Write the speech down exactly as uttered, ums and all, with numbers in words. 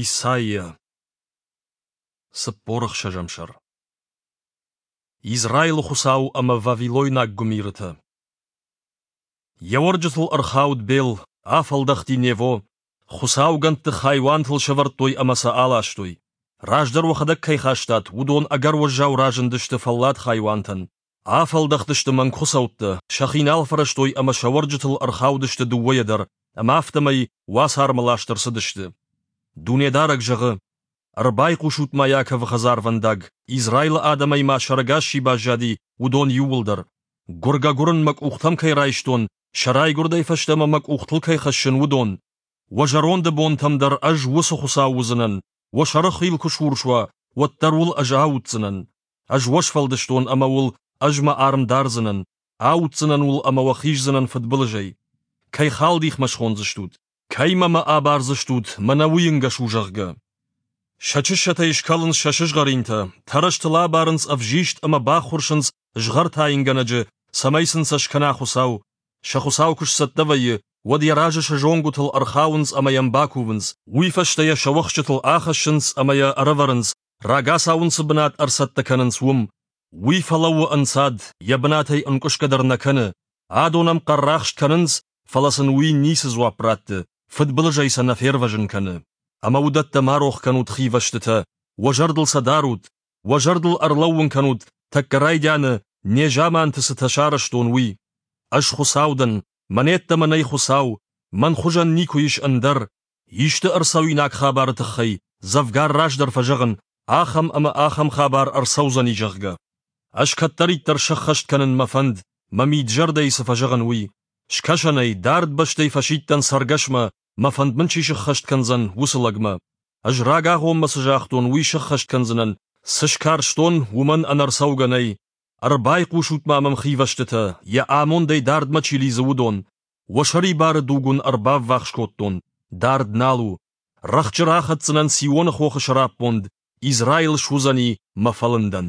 Исайя. Цыппор ӕхсӕзӕм сӕр. Израилы Хуыцау ӕмӕ вавилойнаг гуымирытӕ. Йӕ уӕрджытыл ӕрхауд Бел, афӕлдӕхти Нево. Хуыцаугӕндты хайуантыл сӕвӕрдтой ӕмӕ сӕ аластой. Раздӕр уӕхӕдӕг кӕй хастат, уыдон ӕгӕр уӕззау разындысты фӕллад хайуантӕн. Афӕлдӕхтысты мӕнгхуыцӕуттӕ, сӕхи нал фӕрӕзтой ӕмӕ сӕ уӕрджытыл ӕрхаудысты дыууӕйӕ дӕр, ӕмӕ афтӕмӕй уацармӕ ласт ӕрцыдысты. Дунедарӕг зӕгъы: Ӕрбайхъусут-ма Иаковы хӕдзарвӕндаг, Израилы адӕмӕй ма сӕрӕгас чи баззади, уыдон иууылдӕр. Гуыргӕ-гуырын мӕ къухтӕм кӕй райстон, сӕ райгуырдӕй фӕстӕмӕ мӕ къухтыл кӕй хӕссын, уыдон. Уӕ зӕронды бонтӕм дӕр ӕз уыцы Хуыцау уыдзынӕн, уӕ сӕрыхил куы сурс уа, уӕддӕр уыл ӕз ауддзынӕн. Ӕз уӕ сфӕлдыстон ӕмӕ уыл ӕз мӕ арм дардзынӕн, ауддзынӕн уыл ӕмӕ уӕ хиздзынӕн фыдбылызӕй. Кӕй халдих мӕ схондзыстут? Кӕимӕ мӕ абардзыстут, мӕнӕ уый ӕнгӕс у, зӕгъгӕ? Сӕ чыссӕтӕй скалынц сӕ сызгъӕринтӕ, тӕрӕзтыл абарынц ӕвзист ӕмӕ баххуырсынц згъӕртайынгӕнӕджы, цӕмӕй сын сӕ скӕна Хуыцау. Сӕ Хуыцау куы сцӕттӕ вӕййы, уӕд йӕ разы сӕ зонгуытыл ӕрхауынц ӕмӕ йӕм бакувынц, уый фӕстӕ йӕ сӕ уӕхсчытыл ахӕссынц ӕмӕ йӕ ӕрӕвӕрынц, рагацау ын цы бынат ӕрцӕттӕ кӕнынц, уым. Уый фӕлӕууы ӕнцад, йӕ бынатӕй ӕнкъуысгӕ дӕр нӕ кӕны. Адон ӕм хъӕррахст кӕнынц, фӕлӕ сын уый ницы дзуапп ратты, фыдбылызӕй сӕ нӕ фервӕзын кӕны. Ӕмӕ уыдӕттӕ ма рох кӕнут хивӕстытӕ, уӕ зӕрдыл сӕ дарут, уӕ зӕрдыл ӕрлӕууын кӕнут, тӕккӕ райдианы, незаманты цытӕ сарӕзтон, уый. Ӕз Хуыцау дӕн, мӕн йеддӕмӕ нӕй Хуыцау, мӕн хуызӕн никуы ис ӕндӕр. Исты ӕрцӕуинаг хабары тыххӕй, дзӕвгар раздӕр фӕзӕгъын, ахӕм ӕмӕ ахӕм хабар ӕрцӕудзӕни, зӕгъгӕ. Ӕз кӕддӕриддӕр сӕххӕст кӕнын мӕ фӕнд, мӕ мид-зӕрдӕйы цы фӕзӕгъын, уый. Скӕсӕнӕй, дард бӕстӕй фӕсидтӕн цӕргӕсмӕ, мӕ фӕнд мын чи сыххӕст кӕндзӕн, уыцы лӕгмӕ. Ӕз рагагъоммӕ цы загътон, уый сӕххӕст кӕндзынӕн, цы скарстон, уымӕн ӕнӕрцӕугӕ нӕй. Ӕрбайхъусут-ма мӕм хивӕстытӕ, йӕ амондӕй дардмӕ чи лидзы, уыдон. Уӕ сӕрибары дуг уын ӕрбаввахс кодтон, дард нал у. Рӕхджы рахӕцдзынӕн Сионы хохы сӕраппонд, Израил суыдзӕни мӕ фӕлындӕн.